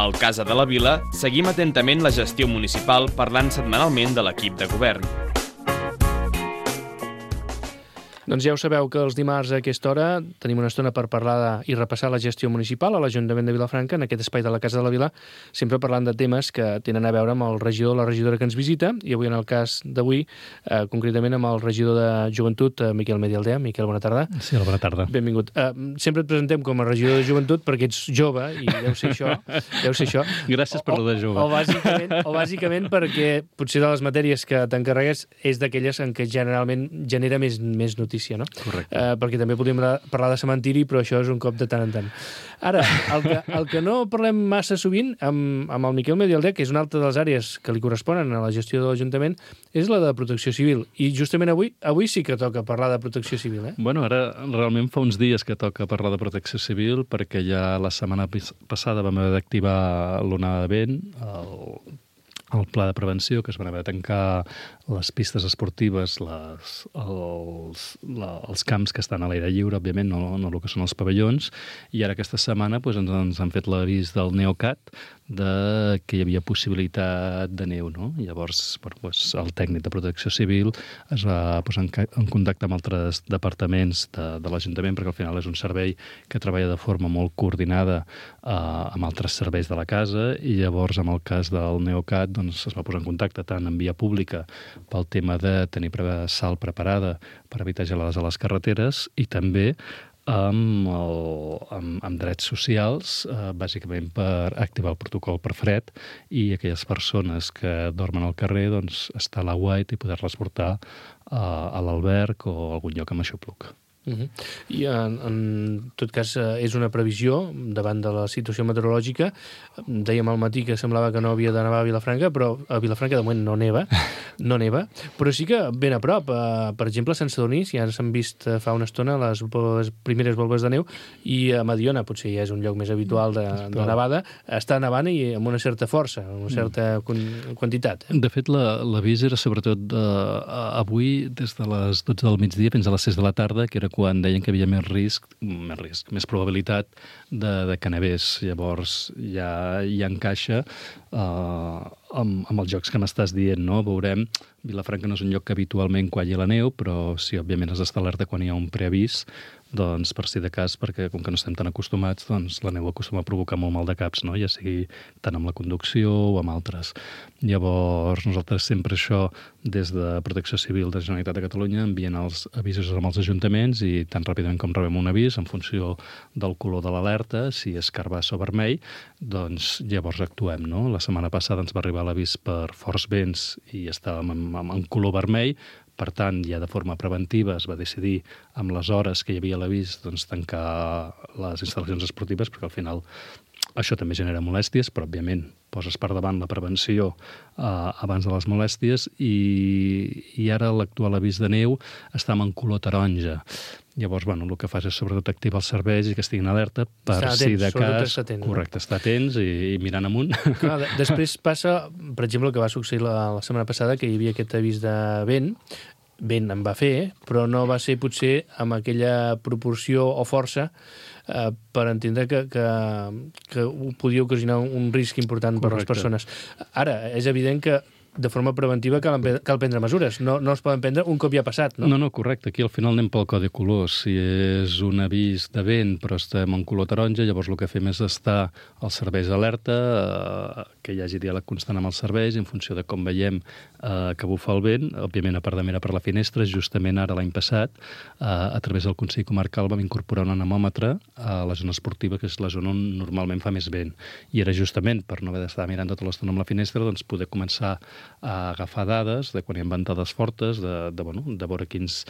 Al Casa de la Vila seguim atentament la gestió municipal parlant setmanalment de l'equip de govern. Doncs ja ho sabeu que els dimarts a aquesta hora tenim una estona per parlar i repassar la gestió municipal a l'Ajuntament de Vilafranca, en aquest espai de la Casa de la Vila, sempre parlant de temes que tenen a veure amb el regidor o la regidora que ens visita, i avui en el cas d'avui, concretament amb el regidor de Joventut, Miquel Medialdea. Miquel, bona tarda. Sí, bona tarda. Benvingut. Sempre et presentem com a regidor de Joventut perquè ets jove i deu ser això. Gràcies per lo de jove. O bàsicament perquè potser de les matèries que t'encarregues és d'aquelles en què generalment genera més notícia, no? Correcte. Perquè també podríem parlar de cementiri, però això és un cop de tant en tant. Ara, el que no parlem massa sovint amb el Miquel Medialdea, que és una altra de les àrees que li corresponen a la gestió de l'Ajuntament, és la de protecció civil. I justament avui sí que toca parlar de protecció civil, eh? Bueno, ara realment fa uns dies que toca parlar de protecció civil, perquè ja la setmana passada vam haver d'activar l'onada de vent, el pla de prevenció, que es van haver de tancar les pistes esportives, els camps que estan a l'aire lliure, òbviament, no el que són els pavellons, i ara aquesta setmana ens han fet l'avís del Neocat que hi havia possibilitat de neu, no? Llavors, el tècnic de protecció civil es va posar en contacte amb altres departaments de l'Ajuntament, perquè al final és un servei que treballa de forma molt coordinada amb altres serveis de la casa, i llavors, en el cas del Neocat, doncs, es va posar en contacte tant en via pública pel tema de tenir sal preparada per evitar gelades a les carreteres, i també amb drets socials, bàsicament per activar el protocol per fred, i aquelles persones que dormen al carrer, doncs, estar a l'aguait i poder-les portar a l'alberg o a algun lloc amb aixopluc. I en tot cas és una previsió davant de la situació meteorològica. Dèiem al matí que semblava que no havia de nevar a Vilafranca, però a Vilafranca de moment no neva, però sí que ben a prop. Per exemple, a Sant Sadurní ja s'han vist fa una estona les primeres volves de neu, i a Mediona, potser ja és un lloc més habitual de nevada, està nevant i amb una certa força, amb una certa quantitat. De fet, l'avís era sobretot avui des de les 12 del migdia fins a les 6 de la tarda, que era quan deien que hi havia més probabilitat de que nevés. Llavors ja encaixa amb els jocs que m'estàs dient, no? Veurem, Vilafranca no és un lloc que habitualment qualli la neu, però sí, òbviament has d'estar alerta quan hi ha un preavís, doncs per si de cas, perquè com que no estem tan acostumats, doncs la neu acostuma a provocar molt mal de caps, no? Ja sigui tant amb la conducció o amb altres. Llavors, nosaltres sempre això, des de Protecció Civil de la Generalitat de Catalunya, envien els avisos als ajuntaments, i tan ràpidament com rebem un avís, en funció del color de l'alerta, si és carbassa o vermell, doncs llavors actuem, no? La setmana passada ens va arribar l'avís per forts vents i estàvem en color vermell. Per tant, ja de forma preventiva es va decidir, amb les hores que hi havia l'avís, doncs, tancar les instal·lacions esportives, perquè al final això també genera molèsties, però òbviament poses per davant la prevenció abans de les molèsties, i ara l'actual avís de neu està en color taronja. Llavors, el que fas és sobretot activar els serveis i que estiguin alerta per si de cas... Correcte, estar atents i mirant amunt. Clar, després passa, per exemple, el que va succeir la setmana passada, que hi havia aquest avís de vent en va fer, però no va ser potser amb aquella proporció o força per entendre que podia ocasionar un risc important per a les persones. Ara, és evident que de forma preventiva cal prendre mesures. No es poden prendre un cop ja ha passat, no? No, correcte. Aquí al final anem pel codi colors. Si és un avís de vent però estem en color taronja, llavors el que fem és estar als serveis d'alerta, que hi hagi diàleg constant amb els serveis, en funció de com veiem que bufa el vent. Òbviament, a part de mirar per la finestra, justament ara l'any passat, a través del Consell Comarcal vam incorporar un anemòmetre a la zona esportiva, que és la zona on normalment fa més vent. I era justament per no haver d'estar mirant tota l'estona amb la finestra, doncs poder començar a agafar dades de quan hi ha ventades fortes, de veure quines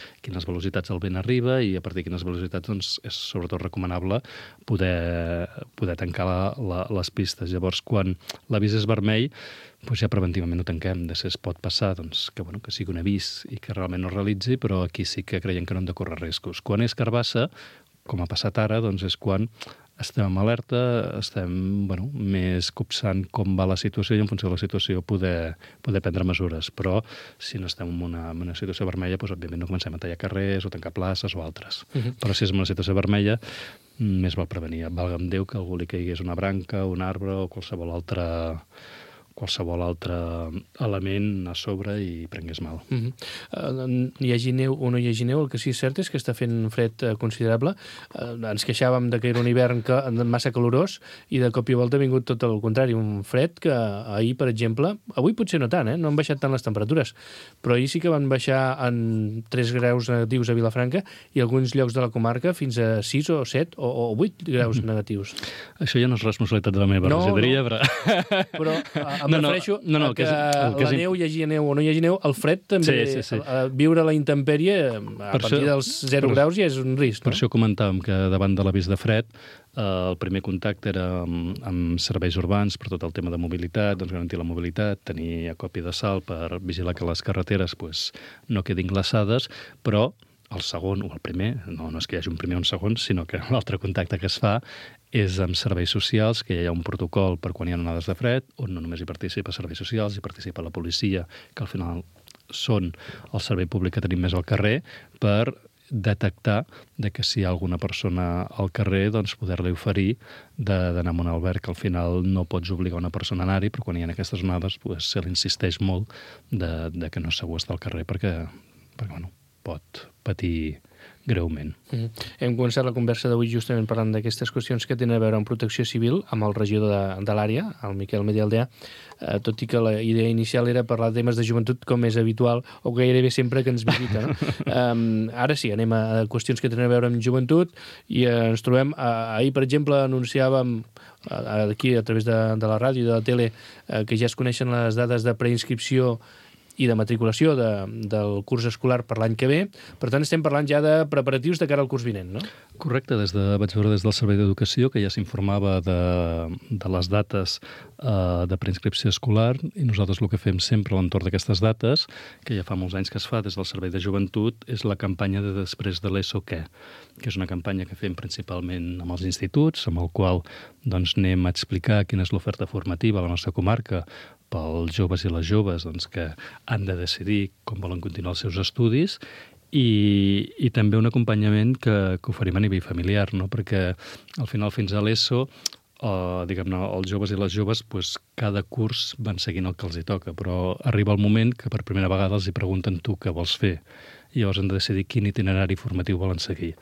velocitats el vent arriba, i a partir de quines velocitats doncs, és sobretot recomanable poder tancar les pistes. Llavors, quan l'avís és vermell, doncs ja preventivament ho tanquem. Després pot passar que sigui un avís i que realment no es realitzi, però aquí sí que creiem que no hem de córrer riscos. Quan és carbassa, com ha passat ara, doncs és quan estem en alerta, estem més copsant com va la situació i en funció de la situació poder prendre mesures. Però si no estem en una situació vermella, doncs, òbviament no comencem a tallar carrers o tancar places o altres. Però si és en una situació vermella, més val prevenir. Valga'm Déu que algú li caigués una branca, un arbre o qualsevol altre element a sobre i prengués mal. Hi hagi neu o no hi hagi neu, el que sí és cert és que està fent fred considerable. Ens queixàvem que era un hivern massa calorós i de cop i volta ha vingut tot el contrari, un fred que ahir, per exemple, avui potser no tant, no han baixat tant les temperatures, però ahir sí que van baixar en 3 graus negatius a Vilafranca i alguns llocs de la comarca fins a 6 o 7 o 8 graus negatius. Això ja no és responsabilitat de la meva regidoria, però em refereixo que la neu, hi hagi neu o no hi hagi neu, el fred també, viure a la intempèrie a partir dels 0 graus ja és un risc. Per això comentàvem que davant de l'avís de fred el primer contacte era amb serveis urbans per tot el tema de mobilitat, doncs garantir la mobilitat, tenir acòpia de sal per vigilar que les carreteres no quedin glaçades, però el segon o el primer, no és que hi hagi un primer o un segon, sinó que l'altre contacte que es fa és amb serveis socials, que hi ha un protocol per quan hi ha onades de fred, on no només hi participa serveis socials, hi participa la policia, que al final són el servei públic que tenim més al carrer, per detectar que si hi ha alguna persona al carrer, doncs poder-li oferir d'anar a un alberg, que al final no pots obligar una persona a anar-hi, però quan hi ha aquestes onades se li insisteix molt de que no és segur estar al carrer perquè pot patir greument. Hem començat la conversa d'avui justament parlant d'aquestes qüestions que tenen a veure amb protecció civil, amb el regidor de l'àrea, el Miquel Medialdea, tot i que la idea inicial era parlar de temes de joventut com és habitual o gairebé sempre que ens visita. Ara sí, anem a qüestions que tenen a veure amb joventut i ens trobem, ahir per exemple anunciàvem aquí a través de la ràdio i de la tele que ja es coneixen les dades de preinscripció i de matriculació del curs escolar per l'any que ve. Per tant, estem parlant ja de preparatius de cara al curs vinent, no? Correcte. Vaig veure des del Servei d'Educació que ja s'informava de les dates de preinscripció escolar i nosaltres el que fem sempre a l'entorn d'aquestes dates, que ja fa molts anys que es fa des del Servei de Joventut, és la campanya de després de l'ESO què? Que és una campanya que fem principalment amb els instituts, amb el qual anem a explicar quina és l'oferta formativa a la nostra comarca pels joves i les joves que han de decidir com volen continuar els seus estudis i també un acompanyament que oferim a nivell familiar, no? Perquè al final fins a l'ESO els joves i les joves cada curs van seguint el que els hi toca, però arriba el moment que per primera vegada els hi pregunten tu què vols fer i llavors han de decidir quin itinerari formatiu volen seguir.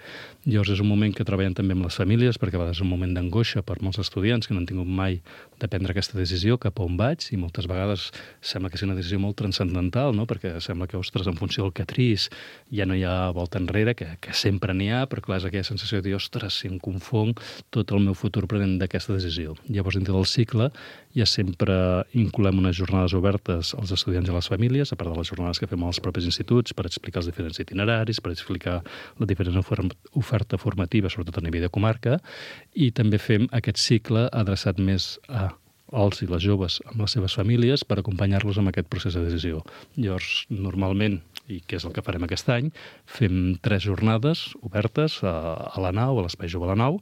Llavors és un moment que treballen també amb les famílies, perquè a vegades és un moment d'angoixa per molts estudiants que no han tingut mai de prendre aquesta decisió, cap a on vaig, i moltes vegades sembla que és una decisió molt transcendental, no? Perquè sembla que, ostres, en funció del que triïs ja no hi ha volta enrere, que sempre n'hi ha, però clar, és aquella sensació de dir, ostres, si em confonc tot el meu futur prenent d'aquesta decisió. Llavors, dintre del cicle, ja sempre incloem unes jornades obertes als estudiants i a les famílies, a part de les jornades que fem als propis instituts, per explicar els diferents itineraris, per explicar la diferent oferta formativa, sobretot a nivell de comarca, i també fem aquest cicle adreçat més als i les joves amb les seves famílies per acompanyar-los en aquest procés de decisió. Llavors, normalment, i què és el que farem aquest any, fem 3 jornades obertes a la nau, a l'Espai Jove a la Nau,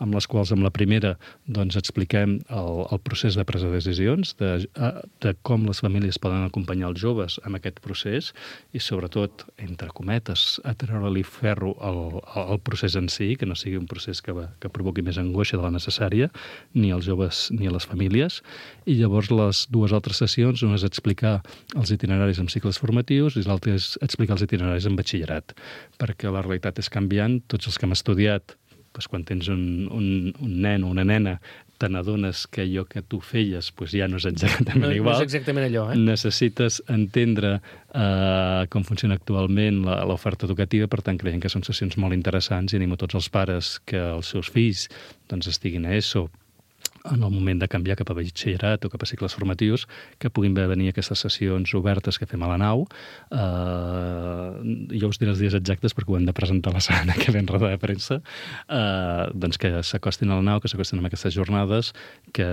amb les quals, amb la primera, expliquem el procés de presa de decisions, de com les famílies poden acompanyar els joves en aquest procés i, sobretot, entre cometes, a treure-li ferro al procés en si, que no sigui un procés que provoqui més angoixa de la necessària, ni als joves ni a les famílies. I llavors les 2 altres sessions, una és explicar els itineraris en cicles formatius i l'altra és explicar els itineraris en batxillerat, perquè la realitat és canviant. Tots els que hem estudiat, quan tens un nen o una nena, te n'adones que allò que tu feies ja no és exactament igual. No és exactament allò, Necessites entendre com funciona actualment l'oferta educativa, per tant, creiem que són sessions molt interessants i animo tots els pares que els seus fills estiguin a ESO en el moment de canviar cap a batxillerat o cap a cicles formatius, que puguin venir aquestes sessions obertes que fem a la nau. Jo us diré els dies exactes perquè ho hem de presentar la setmana que ve en roda de premsa, doncs que s'acostin a la nau, que s'acostin a aquestes jornades, que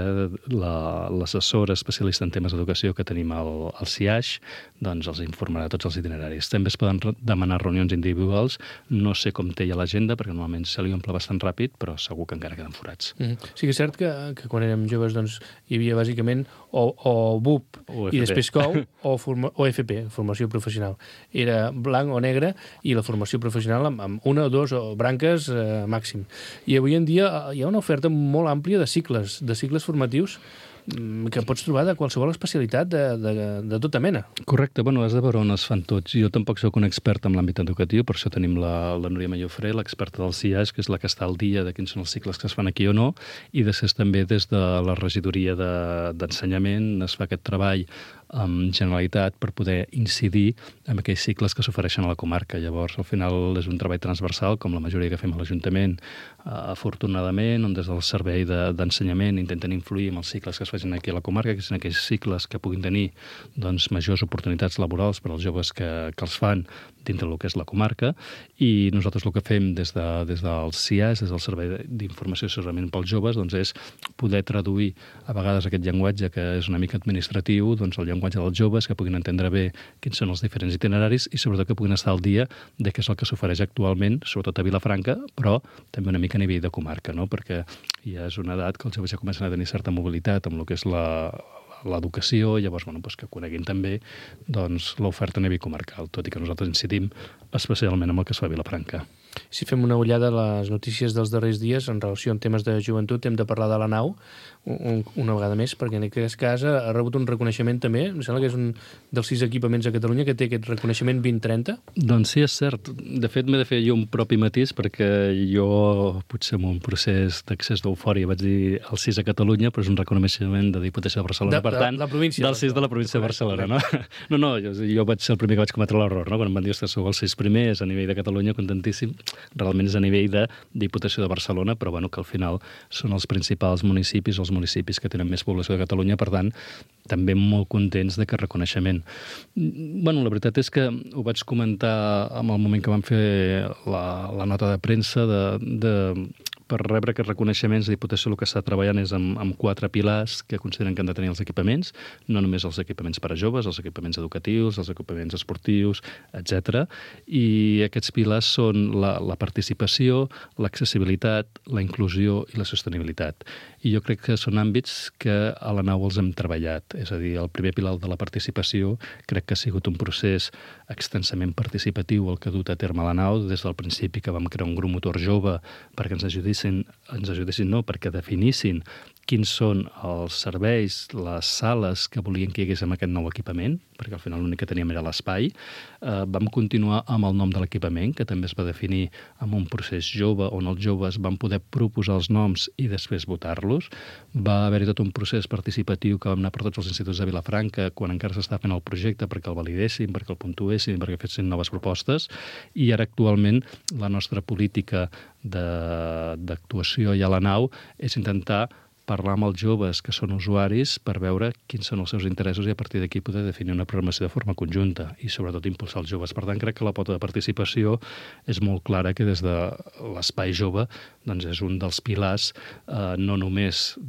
l'assessora especialista en temes d'educació que tenim al CIAix doncs els informarà tots els itineraris. També es poden demanar reunions individuals. No sé com té ja l'agenda, perquè normalment se li omple bastant ràpid, però segur que encara queden forats. Sí que és cert que quan érem joves doncs, hi havia bàsicament o BUP i després COU o FP, formació professional. Era blanc o negre i la formació professional amb una o dos branques màxim. I avui en dia hi ha una oferta molt àmplia de cicles formatius que pots trobar de qualsevol especialitat de tota mena. Correcte, bueno, has de veure on es fan tots. Jo tampoc soc un expert en l'àmbit educatiu, per això tenim la Núria Mallofré, l'experta del CIAix, que és la que està al dia de quins són els cicles que es fan aquí o no, i després també des de la regidoria d'ensenyament es fa aquest treball amb Generalitat per poder incidir en aquells cicles que s'ofereixen a la comarca. Llavors, al final, és un treball transversal, com la majoria que fem a l'Ajuntament, afortunadament, on des del servei d'ensenyament intenten influir en els cicles que es facin aquí a la comarca, que són aquells cicles que puguin tenir doncs, majors oportunitats laborals per als joves que els fan dintre del que és la comarca, i nosaltres el que fem des del CIAix, des del Servei d'Informació i Assessorament pels Joves, doncs és poder traduir a vegades aquest llenguatge que és una mica administratiu, doncs el llenguatge dels joves, que puguin entendre bé quins són els diferents itineraris i sobretot que puguin estar al dia de què és el que s'ofereix actualment, sobretot a Vilafranca, però també una mica a nivell de comarca, no? Perquè ja és una edat que els joves ja comencen a tenir certa mobilitat amb el que és l'educació, llavors doncs, que coneguin també doncs, l'oferta a nivell comarcal, tot i que nosaltres incidim especialment amb el que es fa a Vilafranca. Si fem una ullada a les notícies dels darrers dies en relació amb temes de joventut, hem de parlar de la nau una vegada més, perquè en aquest cas ha rebut un reconeixement també, em sembla que és un dels 6 equipaments a Catalunya que té aquest reconeixement 2030. Doncs sí, és cert. De fet, m'he de fer jo un propi matís, perquè jo, potser en un procés d'accés d'eufòria, vaig dir el 6 a Catalunya, però és un reconeixement de Diputació de Barcelona, per tant, del 6 de la província de Barcelona, no? No, jo vaig ser el primer que vaig cometre l'error, no? Quan em van dir que sou els 6 primers a nivell de Catalunya, contentíssim. Realment és a nivell de Diputació de Barcelona, però bueno, que al final són els principals municipis, els municipis que tenen més població de Catalunya, per tant, també molt contents d'aquest reconeixement. Bueno, la veritat és que ho vaig comentar en el moment que vam fer la nota de premsa per rebre aquests reconeixements. La Diputació el que està treballant és amb 4 pilars que consideren que han de tenir els equipaments, no només els equipaments per a joves, els equipaments educatius, els equipaments esportius, etc. I aquests pilars són la participació, l'accessibilitat, la inclusió i la sostenibilitat. I jo crec que són àmbits que a la nau els hem treballat. És a dir, el primer pilar de la participació crec que ha sigut un procés extensament participatiu el que ha dut a terme a la nau des del principi que vam crear un grup motor jove perquè ens ajudessin, perquè definissin quins són els serveis, les sales que volien que hi hagués amb aquest nou equipament, perquè al final l'únic que teníem era l'espai. Vam continuar amb el nom de l'equipament, que també es va definir amb un procés jove, on els joves van poder proposar els noms i després votar-los. Va haver-hi tot un procés participatiu que vam anar per tots els instituts de Vilafranca quan encara s'estava fent el projecte perquè el validessin, perquè el puntuessin, perquè fessin noves propostes. I ara actualment la nostra política d'actuació i a la nau és intentar parlar amb els joves que són usuaris per veure quins són els seus interessos i a partir d'aquí poder definir una programació de forma conjunta i sobretot impulsar els joves. Per tant, crec que la pota de participació és molt clara que des de l'espai jove doncs és un dels pilars no només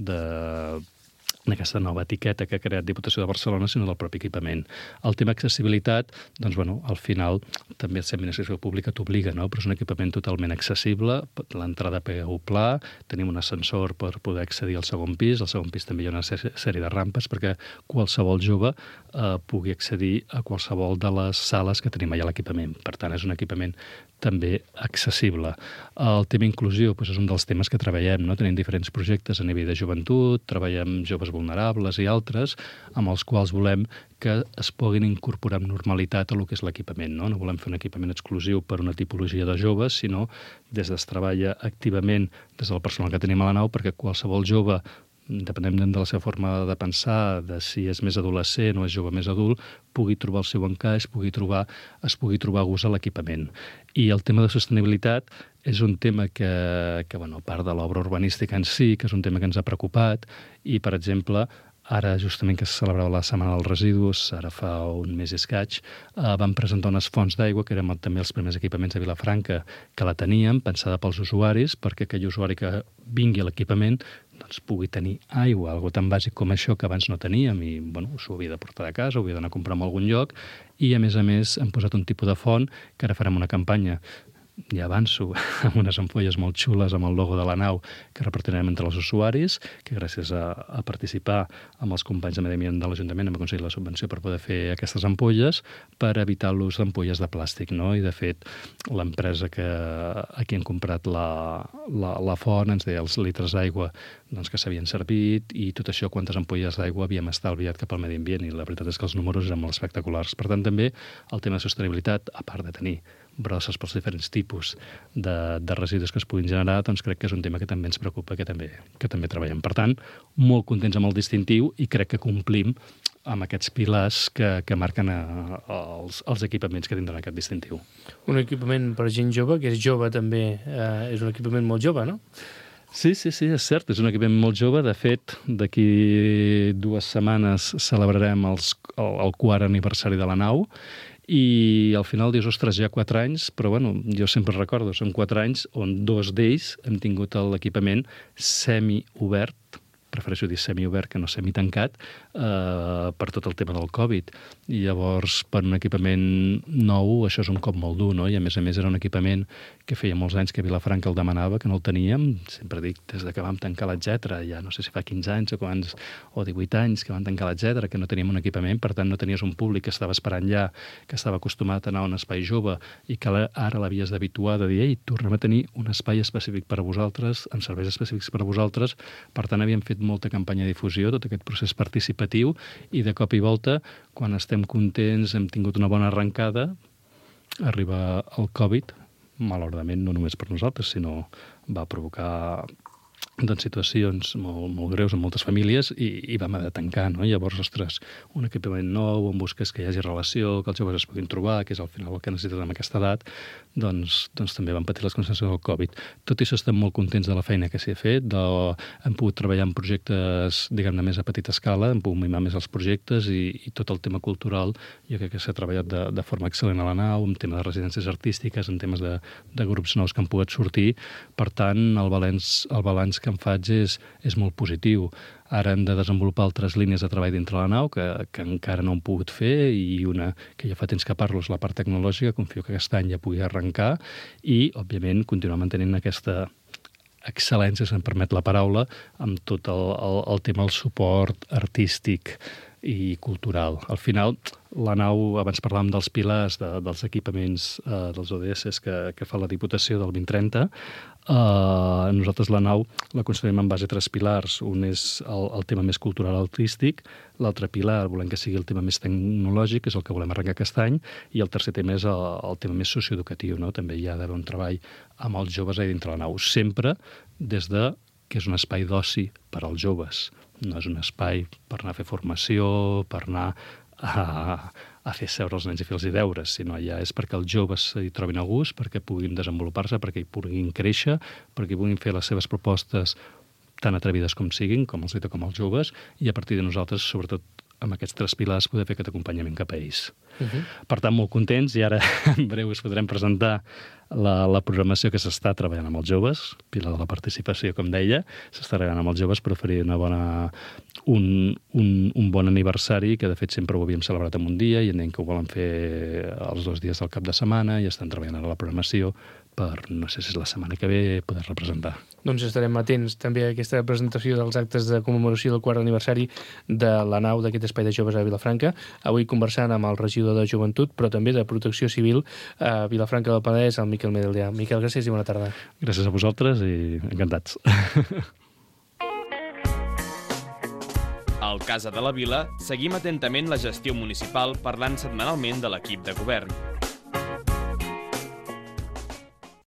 d'aquesta nova etiqueta que ha creat Diputació de Barcelona, sinó del propi equipament. El tema accessibilitat, doncs, bueno, al final també l'administració pública t'obliga, no? Però és un equipament totalment accessible, l'entrada PU pla, tenim un ascensor per poder accedir al segon pis també hi ha una sèrie de rampes perquè qualsevol jove pugui accedir a qualsevol de les sales que tenim allà a l'equipament. Per tant, és un equipament també accessible. El tema inclusió és un dels temes que treballem, no? Tenim diferents projectes a nivell de joventut, treballem joves vulnerables i altres, amb els quals volem que es puguin incorporar amb normalitat a lo que és l'equipament. No volem fer un equipament exclusiu per una tipologia de joves, sinó des es treballa activament des del personal que tenim a la nau perquè qualsevol jove, independentment de la seva forma de pensar, de si és més adolescent o és jove més adult, pugui trobar el seu encaix, es pugui trobar gust a l'equipament. I el tema de sostenibilitat és un tema que bueno, a part de l'obra urbanística en si, que és un tema que ens ha preocupat, i, per exemple, ara, justament que se celebrava la Setmana dels Residus, ara fa un mes i escaig, vam presentar unes fonts d'aigua, que érem també els primers equipaments a Vilafranca que la teníem, pensada pels usuaris, perquè aquell usuari que vingui a l'equipament doncs, pugui tenir aigua, algo tan bàsic com això que abans no teníem, i bueno, s'ho havia de portar de casa, ho havia d'anar a comprar en algun lloc, i a més hem posat un tipus de font que ara farem una campanya, ja avanço, amb unes ampolles molt xules amb el logo de la nau que repartirem entre els usuaris, que gràcies a participar amb els companys de Medi Ambient de l'Ajuntament hem aconseguit la subvenció per poder fer aquestes ampolles per evitar l'ús d'ampolles de plàstic, no? I de fet l'empresa a qui hem comprat la font ens deia els litres d'aigua doncs, que s'havien servit i tot això, quantes ampolles d'aigua havíem estalviat cap al medi ambient, i la veritat és que els números eren molt espectaculars. Per tant, també el tema de sostenibilitat, a part de tenir brosses pels diferents tipus de residus que es puguin generar, doncs crec que és un tema que també ens preocupa, que també treballem. Per tant, molt contents amb el distintiu i crec que complim amb aquests pilars que marquen els equipaments que tindran aquest distintiu. Un equipament per gent jove, que és jove també, és un equipament molt jove, no? Sí, és cert, és un equipament molt jove. De fet, d'aquí 2 setmanes celebrarem el 4è aniversari de la nau, i al final dius, ostres, ja 4 anys, però bueno, jo sempre recordo, són 4 anys on 2 d'ells hem tingut l'equipament semi-obert, prefereixo dir semi-obert que no semi-tancat, per tot el tema del Covid. I llavors, per un equipament nou, això és un cop molt dur, no? I a més era un equipament que feia molts anys que Vilafranca el demanava, que no el teníem, sempre dic, des que vam tancar l'Etcètera, ja no sé si fa 15 anys o 18 anys que vam tancar l'Etcètera, que no teníem un equipament, per tant no tenies un públic que estava esperant ja, que estava acostumat a anar a un espai jove i que ara l'havies d'habituar de dir, ei, tornem a tenir un espai específic per a vosaltres, amb serveis específics per a vosaltres. Per tant, havíem fet molta campanya de difusió, tot aquest procés participatiu, i de cop i volta, quan estem contents, hem tingut una bona arrencada, arriba el Covid, malauradament no només per nosaltres, sinó va provocar situacions molt greus en moltes famílies i vam haver de tancar, no? Llavors, ostres, un equipament nou, on busques que hi hagi relació, que els joves es puguin trobar, que és al final el que necessites en aquesta edat, doncs també van patir les conseqüències del Covid. Tot i això estem molt contents de la feina que s'hi ha fet, hem pogut treballar en projectes, diguem-ne, més a petita escala, hem pogut mimar més els projectes i tot el tema cultural, jo crec que s'ha treballat de forma excel·lent a la nau, en tema de residències artístiques, en temes de grups nous que han pogut sortir. Per tant, el balanç que em faig és molt positiu. Ara hem de desenvolupar altres línies de treball dintre la nau que encara no hem pogut fer, i una que ja fa temps que parlo és la part tecnològica, confio que aquest any ja pugui arrencar, i, òbviament, continuar mantenint aquesta excel·lència, si em permet la paraula, amb tot el tema del suport artístic i cultural. Al final, la nau, abans parlàvem dels pilars, dels equipaments, dels ODS que fa la Diputació del 2030, nosaltres la nau la construïm en base a 3 pilars. Un és el tema més cultural artístic, l'altre pilar volem que sigui el tema més tecnològic, que és el que volem arrencar aquest any, i el tercer tema és el tema més socioeducatiu, no? També hi ha d'haver un treball amb els joves ahí dintre la nau, sempre des de que és un espai d'oci per als joves. No és un espai per anar a fer formació, per anar a fer seure els nens i fer els deures, sinó allà és perquè els joves s'hi trobin a gust, perquè puguin desenvolupar-se, perquè hi puguin créixer, perquè puguin fer les seves propostes tan atrevides com siguin, com els com els joves, i a partir de nosaltres, sobretot amb aquests 3 pilars, poder fer aquest acompanyament cap a ells. Per tant, molt contents, i ara en breu us podrem presentar la programació que s'està treballant amb els joves, pilar de la participació, com deia, s'està treballant amb els joves per oferir un bon aniversari, que de fet sempre ho havíem celebrat en un dia, i entenc que ho volen fer els 2 dies del cap de setmana, i estan treballant ara la programació per, no sé si és la setmana que ve, poder representar. Doncs estarem atents també a aquesta presentació dels actes de commemoració del 4è aniversari de la nau d'aquest espai de joves a Vilafranca. Avui conversant amb el regidor de Joventut, però també de Protecció Civil a Vilafranca del Penedès, el Miquel Medeldia. Miquel, gràcies i bona tarda. Gràcies a vosaltres i encantats. Al Casa de la Vila seguim atentament la gestió municipal parlant setmanalment de l'equip de govern.